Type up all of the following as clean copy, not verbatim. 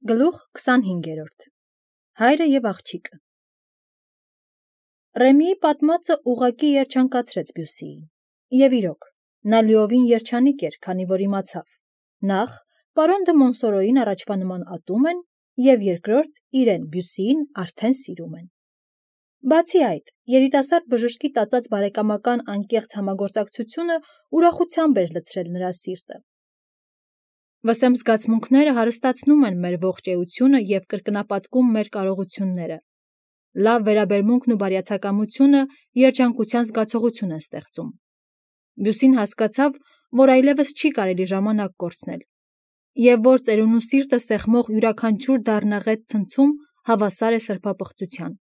Գլուխ 25 Հայրը և աղջիկը Ռեմիի պատմածը ուղղակի երջանկացրեց Բյուսիին, և իրոք, նա լիովին երջանիկ էր, քանի որ իմացավ. նախ, պարոն դը Մոնսորոյին առաջվա նման ատում են, և երկրորդ, իրեն Բյուսիին արդեն սիրում են։ Բացի այդ, երիտասարդ բժշկի տածած բարեկամական անկեղծ համագործակցությունը ուրախությամբ էր լցրել նրա սիրտը։ Վսեմ զգացմունքները հարստացնում են մեր ողջ էությունը և կրկնապատկում մեր կարողությունները։ Լավ վերաբերմունքն ու բարյացակամությունը երջանկության զգացողություն են ստեղծում։ Բյուսին հասկացավ, որ այլևս չի կարելի ժամանակ կորցնել, և որ ծերունու սիրտը սեղմող յուրաքանչյուր դառնաղետ ցնցում հավասար է սրբապղծության։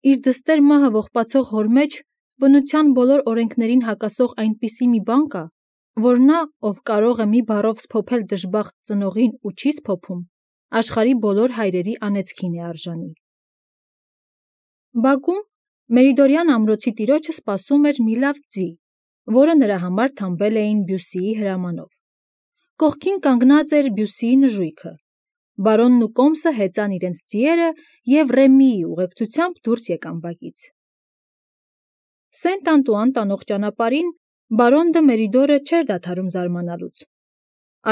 Իր դստեր մահը ողբացող հոր մեջ բնության բոլոր օրենքներին հակասող այնպիսի մի բան կա, որ նա, ով կարող է մի բառով սփոփել դժբախտ ծնողին ու չի սփոփում, աշխարհի բոլոր հայրերի անեծքին է արժանի։ Բակում Մերիդորյան ամրոցի տիրոջը սպասում էր մի լավ ձի, որը նրա համար թամբել էին Բյուսիի հրամանով։ Կողքին կանգնած էր Բյուսիի նժույգը։ Բարոնն ու կոմսը հեծան իրենց ձիերը և Ռեմիի ուղեկցությամբ դուրս եկան բակից։ Սենտ Անտուան տանող ճանապարհին բարոն դը Մերիդորը չէր դադարում զարմանալուց։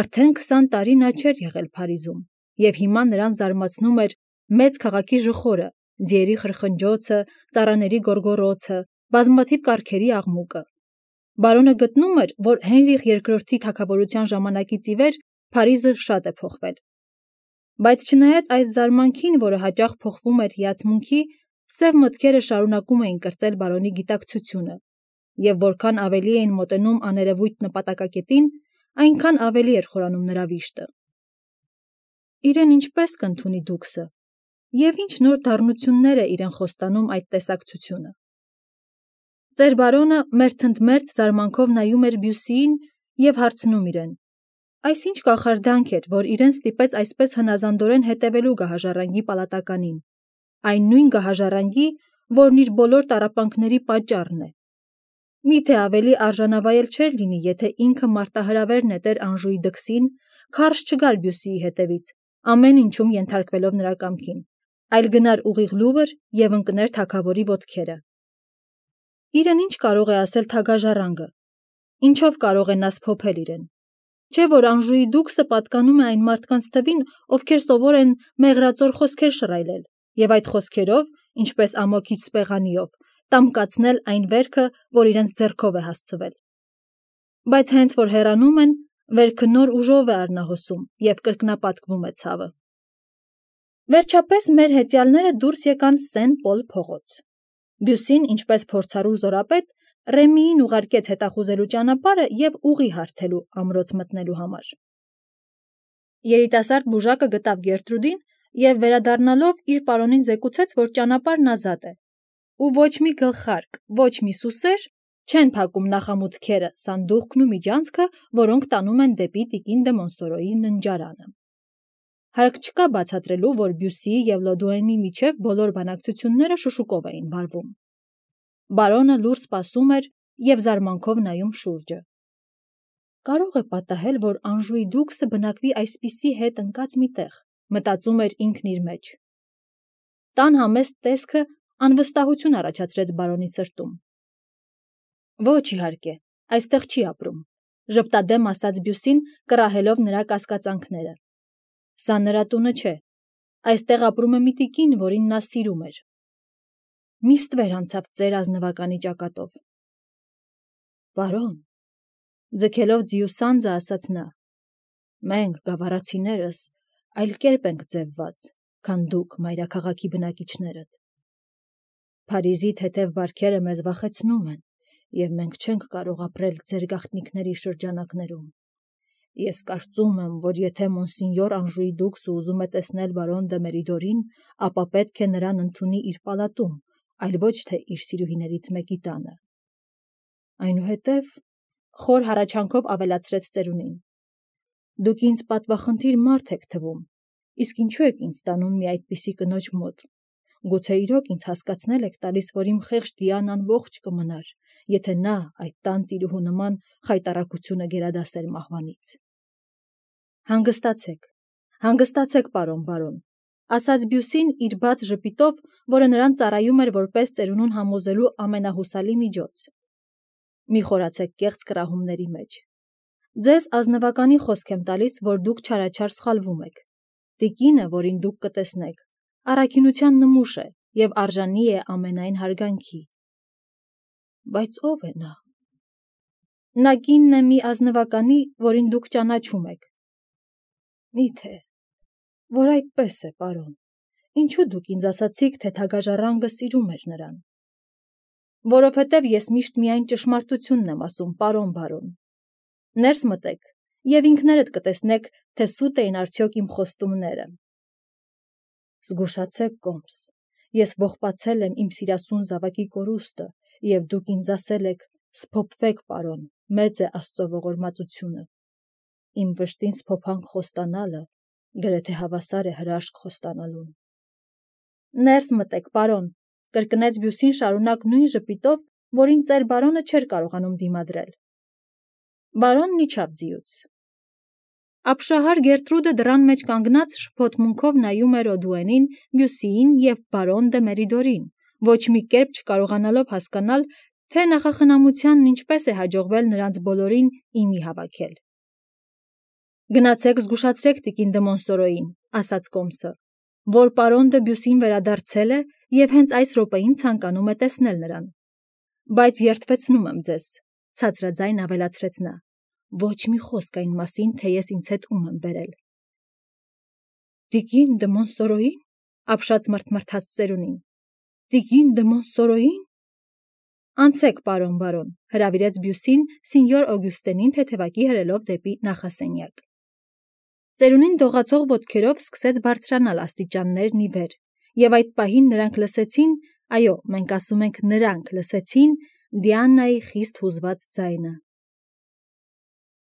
Արդեն 20 տարի նա չէր եղել Փարիզում, և հիմա նրան զարմացնում էր մեծ քաղաքի ժխորը, ձիերի խրխնջոցը, ծառաների գոռգոռոցը, բազմաթիվ կառքերի աղմուկը։ Բարոնը գտնում էր, որ Հենրիխ II-ի թագավորության ժամանակից ի վեր Փարիզը շատ է փոխվել։ Բայց չնայած այս զարմանքին, որը հաճախ փոխվում էր հիացմունքի, սև մտքերը շարունակում էին կրծել բարոնի գիտակցությունը, և որքան ավելի էին մոտենում աներևույթ նպատակակետին, այնքան ավելի էր խորանում նրա վիշտը։ Իրեն ինչպես կընդունի դուքսը, և ինչ նոր դառնություններ է իրեն խոստանում այդ տեսակցությունը։ Ծեր բարոնը մերթընդմերթ զարմանքով նայում էր Բյուսիին և հարցնում իրեն. այս ինչ կախարդանք էր, որ իրեն ստիպեց այսպես հնազանդորեն հետևելու գահաժառանգի պալատականին, այն նույն գահաժառանգի, որն իր բոլոր տառապանքների պատճառն է։ Միթե ավելի արժանավայել չէր լինի, եթե ինքը մարտահրավեր նետեր Անժուի դքսին, քարշ չգար Բյուսիի հետևից, ամեն ինչում ենթարկվելով նրա կամքին, այլ գնար ուղիղ Լուվր և ընկներ թագավորի ոտքերը։ Իրեն ինչ կարող է ասել թագաժառանգը, ինչով կարող է նա սփոփել իրեն։ Չէ՞ որ Անժուի դուքսը պատկանում է այն մարդկանց թվին, ովքեր սովոր են մեղրածոր խոսքեր շռայլել, և այդ խոսքերով, ինչպես ամոքից սպեղանիով, տամկացնել այն վերքը, որ իրենց ձեռքով է հասցվել։ Բայց հենց որ հեռանում են, վերքը նոր ուժով է արնահոսում և կրկնապատկվում է ցավը։ Վերջապես մեր հեծյալները դուրս եկան Սեն Պոլ փողոց։ Բյուսին, ինչպես փորձառու զորապետ, Ռեմիին ուղարկեց հետախուզելու ճանապարհը և ուղի հարթելու ամրոց մտնելու համար։ Երիտասարդ բուժակը գտավ Գերտրուդին և վերադառնալով իր պարոնին զեկուցեց, որ ճանապարհն ազատ է, ու ոչ մի գլխարկ, ոչ մի սուսեր չեն փակում նախամուտքերը, սանդուղքն ու միջանցքը, որոնք տանում են դեպի տիկին դը Մոնսորոյի ննջարանը։ Հարկ չկա բացատրելու, որ Բյուսիի և Լոդուենի միջև բոլոր բանակցությունները շշուկով էին վարվում։ Բարոնը լուռ սպասում էր և զարմանքով նայում շուրջը։ Կարող է պատահել, որ Անժուի դուքսը բնակվի այսպիսի հետ ընկած մի տեղ, մտածում էր ինքն իր մեջ։ Տան համեստ տեսքը անվստահություն առաջացրեց բարոնի սրտում։ Ոչ, իհարկե, այստեղ չի ապրում, ժպտադեմ ասաց Բյուսին, կռահելով նրա կասկածանքները։ Սա նրա տունը չէ, այստեղ ապրում է մի տիկին, որին նա սիրում էր։ Մի ստվեր անցավ ծեր ազնվականի ճակատով։ Բարոն, ձգելով ձիու սանձը, ասաց նա, մենք, գավառացիներս, այլ կերպ ենք ձևված, քան դուք, մայրաքաղաքի բնակիչներդ։ Փարիզի թեթև բարքերը մեզ վախեցնում են, և մենք չենք կարող ապրել ձեր գաղտնիքների շրջանակներում։ Ես կարծում եմ, որ եթե Մոնսինյոր Անժուի դուքսը ուզում է տեսնել բարոն դը Մերիդորին, ապա պետք է նրան ընդունի իր պալատում, այլ ոչ թե իր սիրուհիներից մեկի տանը։ Այնուհետև, խոր հառաչանքով ավելացրեց ծերունին, դուք ինձ պատվախնդիր մարդ եք թվում, իսկ ինչու եք ինձ տանում մի այդպիսի կնոջ մոտ։ Գուցե իրոք ինձ հասկացնել եք տալիս, որ իմ խեղճ Դիանան ողջ կմնար, եթե նա այդ տան տիրուհու նման խայտառակությունը գերադասեր մահվանից։ Հանգստացեք, Հանգստացեք, պարոն բարոն, ասաց Բյուսին իր բաց ժպիտով, որը նրան ծառայում էր որպես ծերունուն համոզելու ամենահուսալի միջոց։ Մի խորացեք կեղծ կռահումների մեջ։ Ձեզ ազնվականի խոսք եմ տալիս, որ դուք չարաչար սխալվում եք։ Տիկինը, որին դուք կտեսնեք, առաքինության նմուշ է և արժանի է ամենայն հարգանքի։ Բայց ով է նա։ Նա կինն է մի ազնվականի, որին դուք ճանաչում եք։ Միթե, որ այդպես է, պարոն, ինչու դուք ինձ ասացիք, թե թագաժառանգը սիրում էր նրան։ Որովհետև ես միշտ միայն ճշմարտությունն եմ ասում, պարոն բարոն։ Ներս մտեք և ինքներդ կտեսնեք, թե սուտ էին արդյոք իմ խոստումները։ Զգուշացեք, կոմս, ես ողբացել եմ իմ սիրասուն զավակի կորուստը, և դուք ինձ ասել եք, սփոփվեք, պարոն, մեծ է Աստծո ողորմածությունը։ Իմ վշտին սփոփանք խոստանալը գրեթե հավասար է հրաշք խոստանալուն։ Ներս մտեք, պարոն, կրկնեց Բյուսին շարունակ նույն ժպիտով, որին ծեր բարոնը չէր կարողանում դիմադրել։ Բարոնն իջավ ձիուց։ Ապշահար Գերտրուդը դռան մեջ կանգնած շփոթմունքով նայում էր Օդուենին, Բյուսիին և բարոն դը Մերիդորին, ոչ մի կերպ չկարողանալով հասկանալ, թե նախախնամությանն ինչպես է հաջողվել նրանց բոլորին իմի հավաքել։ Գնացեք զգուշացրեք տիկին դը Մոնսորոյին, ասաց կոմսը, որ պարոն դը Բյուսին վերադարձել է և հենց այս րոպեին ցանկանում է տեսնել նրան։ Բայց երդվեցնում եմ ձեզ, ցածրաձայն ավելացրեց նա, ոչ մի խոսք այն մասին, թե ես ինձ հետ ում եմ բերել։ Տիկին դը Մոնսորոյին, ապշած մրթմրթաց ծերունին։ Տիկին դը Մոնսորոյին։ Անցեք, պարոն բարոն, հրավիրեց Բյուսին սինյոր Օգյուստենին թեթևակի հրելով դեպի նախասենյակ։ Ծերունին դողացող ոտքերով սկսեց բարձրանալ աստիճաններն ի վեր, և այդ պահին նրանք լսեցին, այո, մենք ասում ենք նրանք լսեցին Դիանայի խիստ հուզված ձայնը։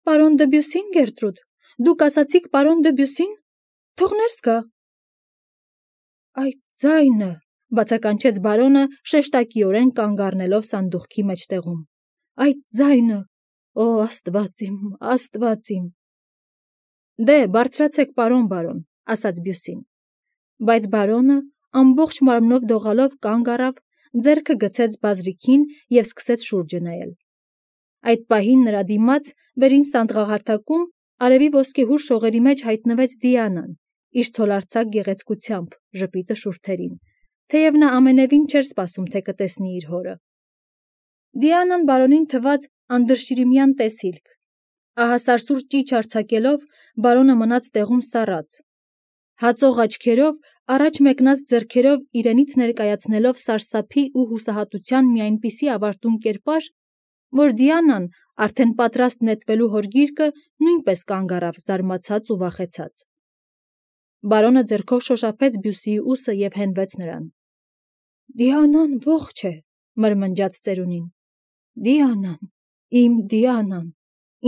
Պարոն դը Բյուսին, Գերտրուդ, դուք ասացիք պարոն դը Բյուսին, թող ներս գա։ Այդ ձայնը, բացականչեց բարոնը շեշտակիորեն կանգ առնելով սանդուղքի մեջտեղում։ Այդ ձայնը, օ Աստված իմ, Աստված իմ։ Դե, բարձրացեք, պարոն բարոն, ասաց Բյուսին։ Բայց բարոնը ամբողջ մարմնով դողալով կանգ առավ, ձեռքը գցեց բազրիքին և սկսեց շուրջը նայել։ Այդ պահին նրա դիմաց վերին սանդղահարթակում արևի ոսկեհուր շողերի մեջ հայտնվեց Դիանան, իր ցոլարձակ գեղեցկությամբ, ժպիտը շուրթերին, թեև նա ամենևին չէր սպասում, թե կտեսնի իր հորը։ Դիանան բարոնին թվաց անդրշիրիմյան տեսիլք։ Ահասարսուր ճիչ արձակելով, բարոնը մնաց տեղում սառած։ Հածող աչքերով, առաջ մեկնած ձեռքերով իրենից ներկայացնելով սարսափի ու հուսահատության մի այնպիսի ավարտուն կերպար, որ Դիանան, արդեն պատրաստ նետվելու հոր գիրկը, նույնպես կանգ առավ զարմացած ու վախեցած։ Բարոնը ձեռքով շոշափեց Բյուսիի ուսը և հենվեց նրան։ Դիանան ողջ է, մրմնջաց ծերունին։ Դիանան, իմ Դիանան,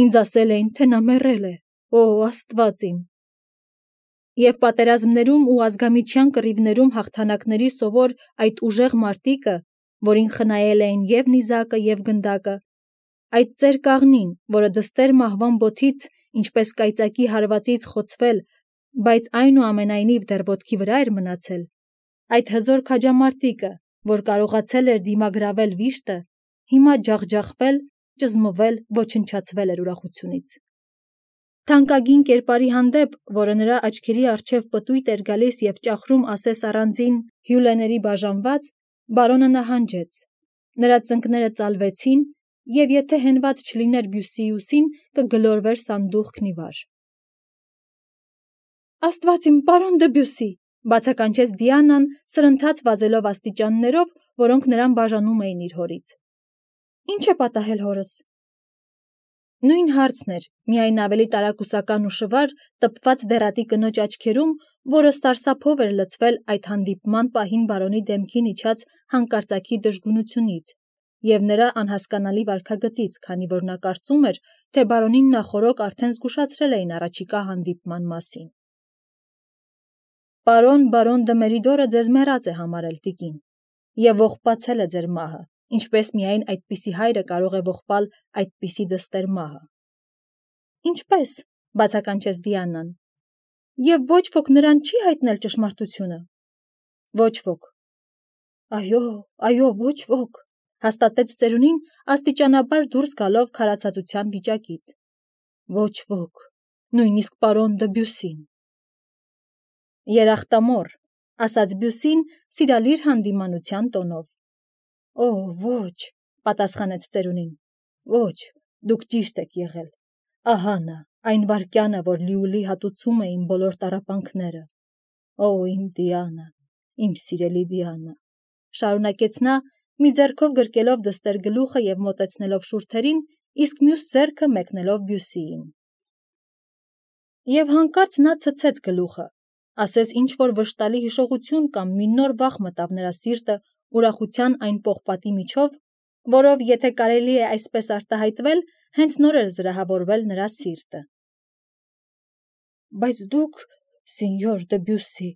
ինձ ասել էին, թե նա մեռել է, օ Աստված իմ։ Եվ պատերազմներում ու ազգամիջյան կռիվներում հաղթանակների սովոր այդ ուժեղ մարտիկը, որին խնայել էին և նիզակը և գնդակը, այդ ծեր կաղնին, որը դստեր մահվան բոթից, ինչպես կայծակի հարվածից խոցվել, բայց այնուամենայնիվ դեռ ոտքի վրա էր մնացել, այդ հզոր քաջամարտիկը, որ կարողացել էր դիմագրավել վիշտը, հիմա ջախջախվել, ճզմվել, ոչնչացվել էր ուրախությունից։ Թանկագին կերպարի հանդեպ, որը նրա աչքերի առջև պտույտ էր գալիս և ճախրում ասես առանձին հյուլեների բաժանված, բարոնը նահանջեց, նրա ծնկները ծալվեցին, և եթե հենված չլիներ Բյուսիի ուսին, կգլորվեր սանդուղքն ի վար։ Աստված իմ, պարոն դը Բյուսի, բացականչեց Դիանան, սրընթաց վազելով աստիճաններով, որոնք նրան բաժանում էին իր հորից։ Ինչ է պատահել հորս։ Նույն հարցն էր, միայն ավելի տարակուսական ու շվար, տպված դեռատի կնոջ աչքերում, որը սարսափով էր լցվել այդ հանդիպման պահին բարոնի դեմքին իջած հանկարծակի դժգունությունից և նրա անհասկանալի վարքագծից, քանի որ նա կարծում էր, թե բարոնին նախօրոք արդեն զգուշացրել էին առաջիկա հանդիպման մասին։ Բարոն դը Մերիդորը ձեզ մեռած է համարել, տիկին, և ողբացել է ձեր մահը, ինչպես միայն այդպիսի հայրը կարող է ողբալ այդպիսի դստեր մահը։ Ինչպես, բացականչեց Դիանան։ Եվ ոչ ոք նրան չի հայտնել ճշմարտությունը։ Ոչ ոք։ Այո, ոչ ոք, հաստատեց ծերունին աստիճանաբար դուրս գալով քարացածության վիճակից։ Ոչ ոք, նույնիսկ պարոն Դեբյուսին։ Երախտամոռ, ասաց Բյուսին սիրալիր հանդիմանության տոնով։ Ոչ, պատասխանեց ծերունին։ Ոչ, դուք ճիշտ եք եղել։ Ահա նա, այն վայրկյանը, որ լիուլի հատուցում է իմ բոլոր տառապանքները։ Իմ Դիանա, իմ սիրելի Դիանա, շարունակեց նա, մի ձեռքով գրկելով դստեր գլուխը և մոտեցնելով շուրթերին, իսկ մյուս ձեռքը մեկնելով Բյուսիին։ Եվ հանկարծ նա ցցեց գլուխը, ասես ինչ-որ վշտալի հիշողություն կամ մի նոր վախ մտավ նրա սիրտը ուրախության այն պողպատի միջով, որով, եթե կարելի է այսպես արտահայտվել, հենց նոր էր զրահավորվել նրա սիրտը։ Բայց դուք, սինյոր Դեբյուսի,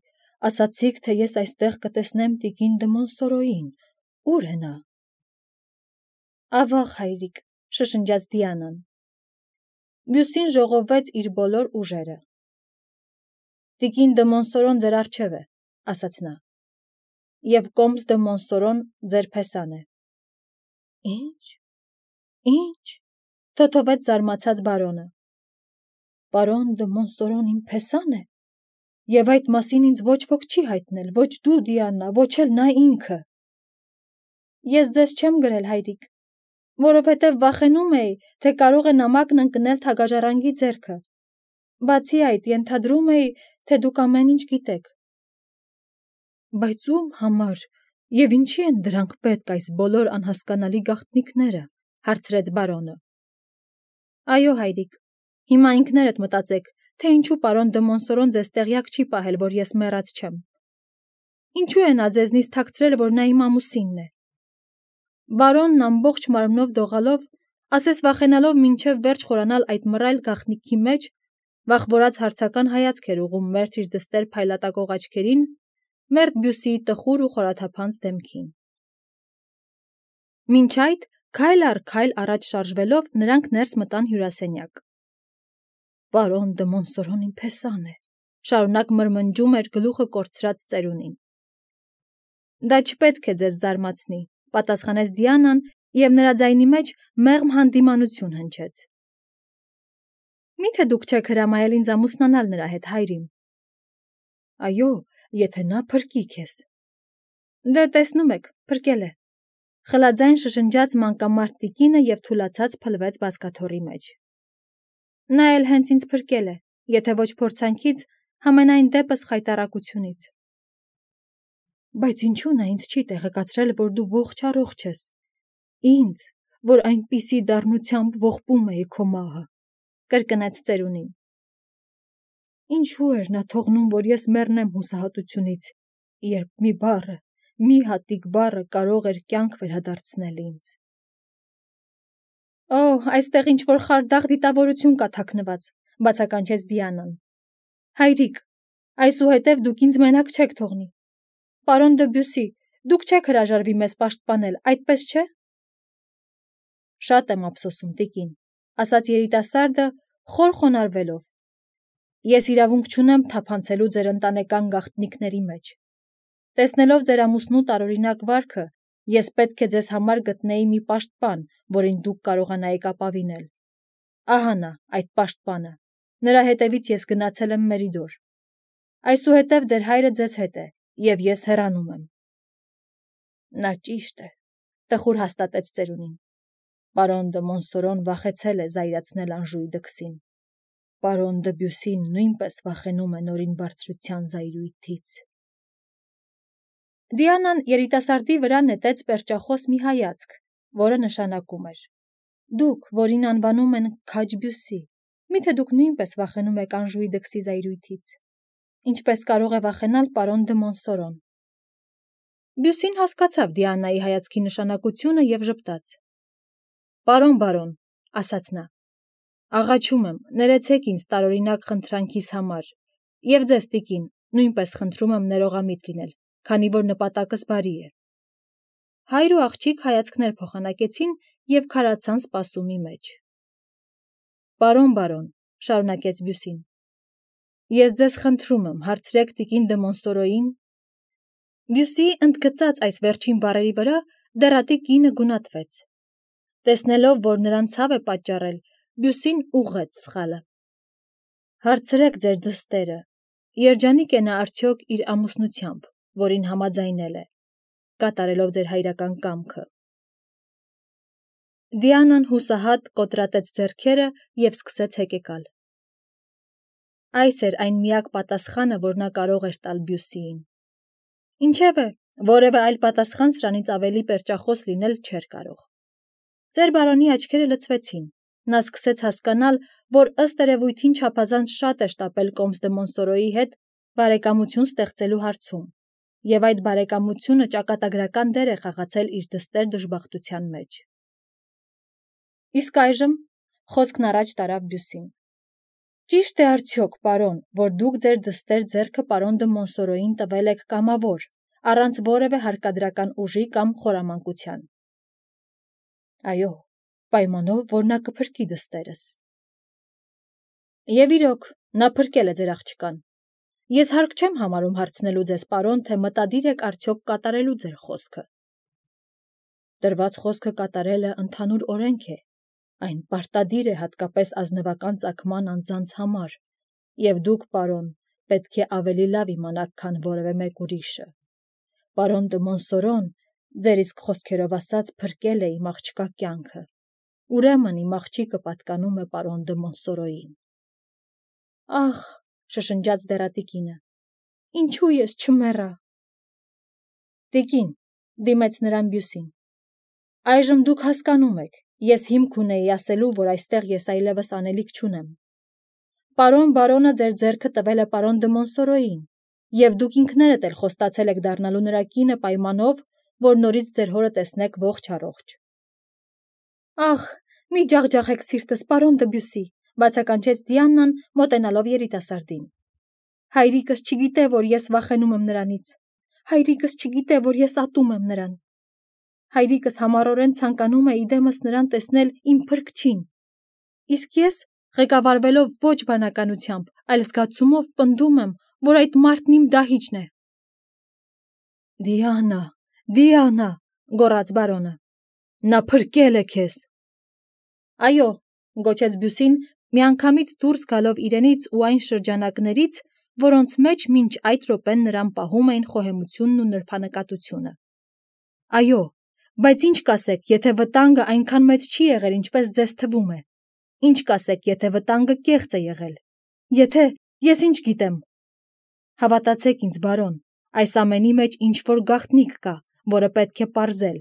ասացիք, թե ես այստեղ կտեսնեմ տիկին դը Մոնսորոյին, ուր է նա։ Ավաղ, հայրիկ, շշնջաց Դիանան։ Բյուսին ժողովեց իր բոլոր ուժերը։ Տիկին դը Մոնսորոն ձեր առջև է, ասաց նա, և Կոմս դը Մոնսորոն ձեր փեսան է։ Ինչ, թոթովեց զարմացած բարոնը։ Պարոն դը Մոնսորոն իմ փեսան է, և այդ մասին ինձ ոչ ոք չի հայտնել, ոչ դու, Դիանա, ոչ էլ նա ինքը։ Ես ձեզ չեմ գրել, հայրիկ, որովհետև վախենում էի, թե կարող է նամակն ընկնել թագաժառանգի ձեռքը։ Բացի այդ, ենթադրում էի, թե դուք ամեն ինչ գիտեք։ Բայց ում համար և ինչի են դրանք պետք այս բոլոր անհասկանալի գաղտնիքները, հարցրեց բարոնը։ Այո, հայրիկ, հիմա ինքներդ մտածեք, թե ինչու պարոն դը Մոնսորոն ձեզ տեղյակ չի պահել, որ ես մեռած չեմ։ Ինչու է նա ձեզնից թաքցրել, որ նա իմ ամուսինն է։ Բարոնն ամբողջ մարմնով դողալով, ասես վախենալով մինչև վերջ խորանալ այդ մռայլ գաղտնիքի մեջ, վախվորած հարցական հայացք էր ուղղում մերթ իր դստեր փայլատակող աչքերին, մերթ Բյուսիի տխուր ու խորաթափանց դեմքին։ Մինչ այդ, քայլ առ քայլ առաջ շարժվելով, նրանք ներս մտան հյուրասենյակ։ Պարոն դը Մոնսորոն իմ փեսան է, շարունակ մրմնջում էր գլուխը կորցրած ծերունին։ Դա չպետք է ձեզ զարմացնի, պատասխանեց Դիանան, և նրա ձայնի մեջ մեղմ հանդիմանություն հնչեց։ Միթե դուք չեք հրամայել ինձ ամուսնանալ նրա հետ, հայրին։ Այո, եթե նա փրկի քեզ։ Դե տեսնում եք, փրկել է, խլաձայն շշնջաց մանկամարդ տիկինը և թուլացած փլվեց բազկաթոռի մեջ։ Նա էլ հենց ինձ փրկել է, եթե ոչ փորձանքից, համենայն դեպս խայտառակությունից։ Բայց ինչու նա ինձ չի տեղեկացրել, որ դու ողջ-առողջ ես։ Ինձ, որ այնպիսի դառնությամբ ողբում էի քո մահը, կրկնեց ծերունին։ Ինչու էր նա թողնում, որ ես մեռնեմ հուսահատությունից, երբ մի բառը, մի հատիկ բառը կարող էր կյանք վերադարձնել ինձ։ Այստեղ ինչ-որ խարդախ դիտավորություն կա թաքնված, բացականչեց Դիանան։ Հայրիկ, այսուհետև դուք ինձ մենակ չեք թողնի։ Պարոն Դեբյուսի, դուք չեք հրաժարվի մեզ պաշտպանել, այդպես չէ։ Շատ եմ ափսոսում, տիկին, ասաց երիտասարդը, խոր խոնարհվելով։ Ես իրավունք չունեմ թափանցելու ձեր ընտանեկան գաղտնիքների մեջ։ Տեսնելով ձեր ամուսնու տարօրինակ վարքը, ես պետք է ձեզ համար գտնեի մի պաշտպան, որին դուք կարողանայիք ապավինել։ Ահա նա, այդ պաշտպանը։ Նրա հետևից ես գնացել եմ Մերիդոր։ Այսուհետև ձեր հայրը ձեզ հետ է, և ես հեռանում եմ։ Նա ճիշտ է, տխուր հաստատեց ծերունին։ Պարոն դը Մոնսորոն վախեցել է զայրացնել անժույգ դքսին։ Պարոն Դեբյուսին նույնպես վախենում է նորին բարձրության զայրույթից։ Դիանան երիտասարդի վրա նետեց պերճախոս մի հայացք, որը նշանակում էր. Դուք, որին անվանում են Քաջ Բյուսի, միթե դուք նույնպես վախենում եք անժույգ դքսի զայրույթից։ Ինչպես կարող է վախենալ պարոն դը Մոնսորոն։ Բյուսին հասկացավ Դիանայի հայացքի նշանակությունը և ժպտաց։ Պարոն բարոն, ասաց նա, աղաչում եմ, ներեցեք ինձ տարօրինակ խնդրանքիս համար, և ձեզ տիկին, նույնպես խնդրում եմ ներողամիտ լինել, քանի որ նպատակս բարի է։ Հայր ու աղջիկ հայացքներ փոխանակեցին և քարացան սպասումի մեջ։ Պարոն բարոն, շարունակեց Բյուսին, Ես ձեզ խնդրում եմ, հարցրեք տիկին դե Մոնսորոյին։ Բյուսիի ընդգծած այս վերջին բառերի վրա դեռատի կինը գունատվեց։ Տեսնելով, որ նրան ցավ է պատճառել, Բյուսին ուղղեց սխալը։ Հարցրեք ձեր դստերը, երջանիկ է նա արդյոք իր ամուսնությամբ, որին համաձայնել է, կատարելով ձեր հայրական կամքը։ Դիանան հուսահատ կոտրատեց ձեռքերը և սկսեց հեկեկալ։ Այս էր այն միակ պատասխանը, որ նա կարող էր տալ Բյուսիին։ Ինչևէ, որևէ այլ պատասխան սրանից ավելի պերճախոս լինել չէր կարող։ Ձեր բարոնի աչքերը լցվեցին։ Նա սկսեց հասկանալ, որ ըստ երևույթին չափազանց շատ է շտապել Կոմս դե Մոնսորոյի հետ բարեկամություն ստեղծելու հարցում, և այդ բարեկամությունը ճակատագրական դեր է խաղացել իր դստեր դժբախտության մեջ։ Իսկ այժմ խոսքն առաջ տարավ Բյուսին։ Ճիշտ է արդյոք, պարոն, որ դուք ձեր դստեր ձեռքը պարոն դը Մոնսորոյին տվել եք կամավոր, առանց որևէ հարկադրական ուժի կամ խորամանկության։ Այո, պայմանով, որ նա կփրկի դստերս։ Եվ իրոք, նա փրկել է ձեր աղջկան։ Ես հարկ չեմ համարում հարցնելու ձեզ, պարոն, թե մտադիր եք արդյոք կատարելու ձեր խոսքը։ Տրված խոսքը կատարելը ընդհանուր օրենք է, այն պարտադիր է հատկապես ազնվական ծագման անձանց համար, և դուք, պարոն, պետք է ավելի լավ իմանաք, քան որևէ մեկ ուրիշը։ Պարոն դը Մոնսորոն, ձեր իսկ խոսքերով ասած, փրկել է իմ աղջկա կյանքը, ուրեմն իմ աղջիկը պատկանում է պարոն դը Մոնսորոյին։ Ախ, շշնջաց դեռատի կինը, ինչու ես չմեռա։ Տիկին, դիմեց նրան Բյուսին, այժմ դուք հասկանում եք, ես հիմք ունեի ասելու, որ այստեղ ես այլևս անելիք չունեմ։ Պարոն բարոնը ձեր ձեռքը տվել է պարոն դը Մոնսորոյին, և դուք ինքներդ էլ խոստացել եք դառնալու նրա կինը պայմանով, որ նորից ձեր հորը տեսնեք ողջ առողջ։ Ախ, մի ջախջախեք սիրտս, պարոն դը Բյուսի, բացականչեց Դիանան, մոտենալով երիտասարդին։ Հայրիկս չգիտե, որ ես վախենում եմ նրանից։ Հայրիկս չգիտե, որ ես ատում եմ նրան։ Հայրիկս համառորեն ցանկանում է իդեմս նրան տեսնել իմ փրկչին։ Իսկ ես, ղեկավարվելով ոչ բանականությամբ, այլ զգացումով պնդում եմ, որ այդ մարդն իմ դահիճն է։ Դիանա, Դիանա, գոռաց բարոնը, նա փրկել է քեզ։ Այո, գոչեց Բյուսին, միանգամից դուրս գալով իրենից ու այն շրջանակներից, որոնց մեջ մինչ այդ րոպեն նրան պահում էին խոհեմությունն ու նրբանկատությունը։ Այո, բայց ինչ կասեք, եթե վտանգը այնքան մեծ չի եղել, ինչպես ձեզ թվում է։ Ինչ կասեք, եթե վտանգը կեղծ է եղել։ Եթե, ես ինչ գիտեմ։ Հավատացեք ինձ, բարոն, այս ամենի մեջ ինչ-որ գաղտնիք կա, որը պետք է պարզել,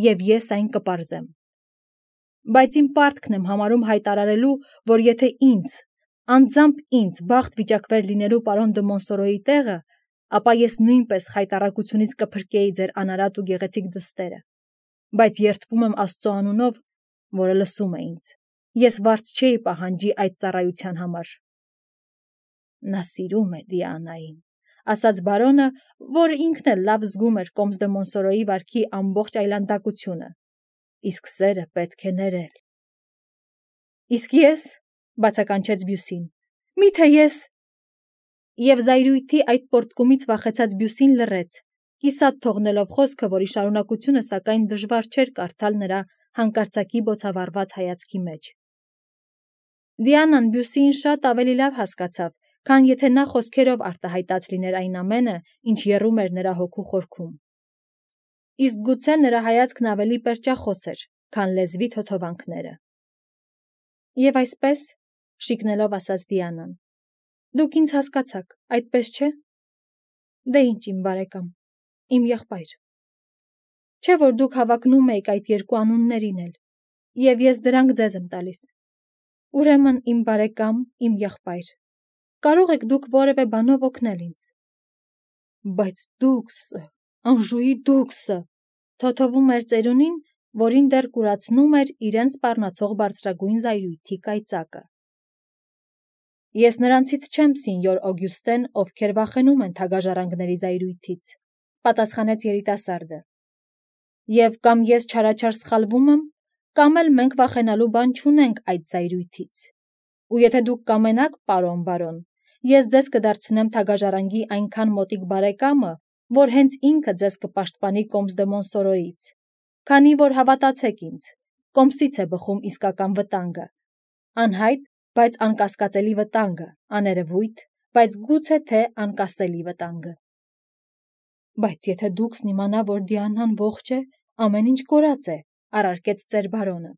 և ես այն կպարզեմ։ Բայց իմ պարտքն եմ համարում հայտարարելու, որ եթե ինձ, անձամբ ինձ բախտ վիճակվեր լինելու պարոն դը Մոնսորոյի տեղը, ապա ես նույնպես խայտառակությունից կփրկեի ձեր անարատ ու գեղեցիկ դստերը, բայց երդվում եմ Աստծո անունով, որը լսում է ինձ, ես վարձ չէի պահանջի այդ ծառայության համար։ Նա սիրում է Դիանային, ասաց բարոնը, որ ինքն էլ լավ զգում էր Կոմս դը Մոնսորոյի վարքի ամբողջ այլանդակությունը, իսկ սերը պետք է ներել։ Իսկ ես, բացականչեց Բյուսին, միթե ես… Եվ զայրույթի այդ պոռթկումից վախեցած Բյուսին լռեց, կիսատ թողնելով խոսքը, որի շարունակությունը սակայն դժվար չէր կարդալ նրա հանկարծակի բոցավառված հայացքի մեջ։ Դիանան Բյուսիին շատ ավելի լավ հասկացավ, քան եթե նա խոսքերով արտահայտած լիներ այն ամենը, ինչ եռում էր նրա հոգու խորքում։ Իսկ գուցե նրա հայացքն ավելի պերճախոս էր, քան լեզվի թոթովանքները։ Եվ այսպես, շիկնելով ասաց Դիանան, դուք ինձ հասկացաք, այդպես չէ։ Դե ինչ իմ բարեկամ, իմ եղբայր։ Չէ՞ որ դուք հավակնում եք այդ երկու անուններին էլ, և ես դրանք ձեզ եմ տալիս։ Ուրեմն իմ բարեկամ, իմ եղբայր, կարող եք դուք որևէ բանով օգնել ինձ։ Բայց դուքսը, անժուի դուքսը, թոթովում էր ծերունին, որին դեռ կուրացնում էր իրեն սպառնացող բարձրագույն զայրույթի կայծակը։ Ես նրանցից չեմ, սինյոր Օգյուստեն, ովքեր վախենում են թագաժառանգների զայրույթից, պատասխանեց երիտասարդը։ Եվ կամ ես չարաչար սխալվում եմ, կամ էլ մենք վախենալու բան չունենք այդ զայրույթից։ Ու եթե դուք կամենաք, պարոն բարոն, ես ձեզ կդարձնեմ թագաժարանգի այնքան մոտիկ բարեկամը, որ հենց ինքը ձեզ կպաշտպանի Կոմս դե Մոնսորոյից, քանի որ հավատացեք ինձ, Կոմսից է բխում իսկական վտանգը, անհայտ, բայց անկասկածելի վտանգը, աներևույթ, բայց գուցե թե անկասելի վտանգը։ Բայց եթե դուքսն իմանա, որ Դիանան ողջ է, ամեն ինչ կորած է, առարկեց ծեր բարոնը։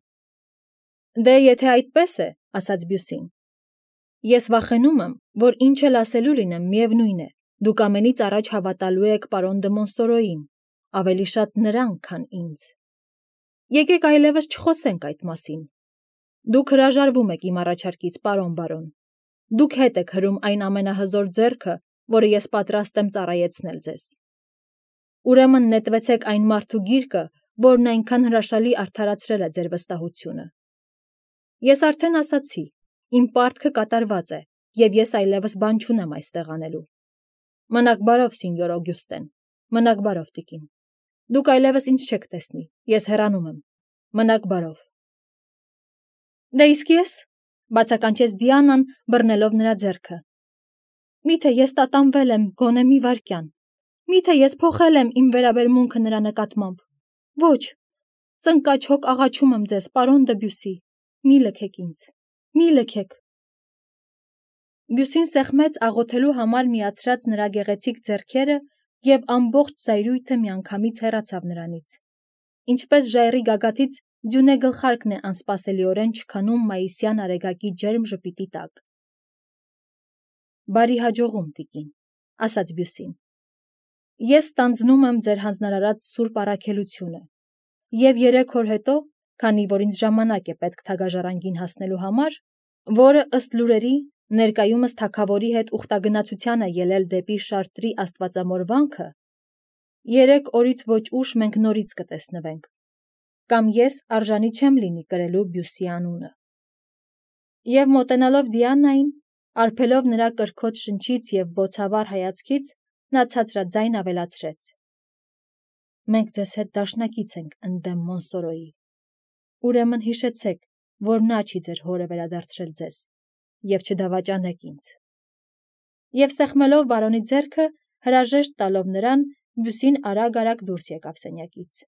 Դե եթե այդպես է, ասաց Բյուսին, ես վախենում եմ, որ ինչ էլ ասելու լինեմ, միևնույն է, դուք ամենից առաջ հավատալու եք պարոն դե Մոնսորոյին, ավելի շատ նրան, քան ինձ։ Եկեք այլևս չխոսենք այդ մասին։ Դուք հրաժարվում եք իմ առաջարկից, պարոն բարոն։ Դուք հետ եք հրում այն ամենահզոր ձեռքը, որը ես պատրաստ եմ ծառայեցնել ձեզ։ Ուրեմն նետվեցեք այն մարդու գիրկը, որն այնքան հրաշալի արդարացրել է ձեր վստահությունը։ Ես արդեն ասացի, իմ պարտքը կատարված է, և ես այլևս բան չունեմ այստեղ անելու։ Մնաք բարով, սինյոր Օգյուստեն, մնաք բարով, տիկին։ Դուք այլևս ինձ չեք տեսնի, ես հեռանում եմ։ Մնաք բարով։ Դե իսկ ես, բացականչեց Դիանան, բռնելով նրա ձեռքը։ Միթե ես տատանվել եմ գոնե մի վայրկյան։ Միթե ես փոխել եմ իմ վերաբերմունքը նրա նկատմամբ։ Ոչ, ծնկաչոք աղաչում եմ ձեզ, պարոն դը Բյուսի, մի լքեք ինձ, մի լքեք։ Բյուսին սեղմեց աղոթելու համար միացրած նրա գեղեցիկ ձեռքերը և ամբողջ զայրույթը միանգամից հեռացավ նրանից։ Ինչպես ժայռի գագաթից ձյունե գլխարկն է անսպասելիորեն չքանում մայիսյան արեգակի ջերմ ժպիտի տակ։ Բարի հաջողում, տիկին, ասաց Բյուսին։ Ես ստանձնում եմ ձեր հանձնարարած սուրբ առաքելությունը, և 3 օր հետո, քանի որ ինձ ժամանակ է պետք թագաժարանգին հասնելու համար, որը ըստ լուրերի ներկայումս թագավորի հետ ուխտագնացության է ելել դեպի Շարտրի աստվածամոր վանքը, 3 օրից ոչ ուշ մենք նորից կտեսնվենք, կամ ես արժանի չեմ լինի կրելու Բյուսի անունը։ Եվ մոտենալով Դիանային, արբելով նրա կրքոտ շնչից և բոցավառ հայացքից, նա ցածրաձայն ավելացրեց. Մենք ձեզ հետ դաշնակից ենք ընդդեմ Մոնսորոյի։ Ուրեմն հիշեցեք, որ նա չի ձեր հորը վերադարձրել ձեզ, և չդավաճանեք ինձ։ Եվ սեղմելով բարոնի ձեռքը, հրաժեշտ տալով նրան, Բյուսին արագ-արագ դուրս եկավ սենյակից։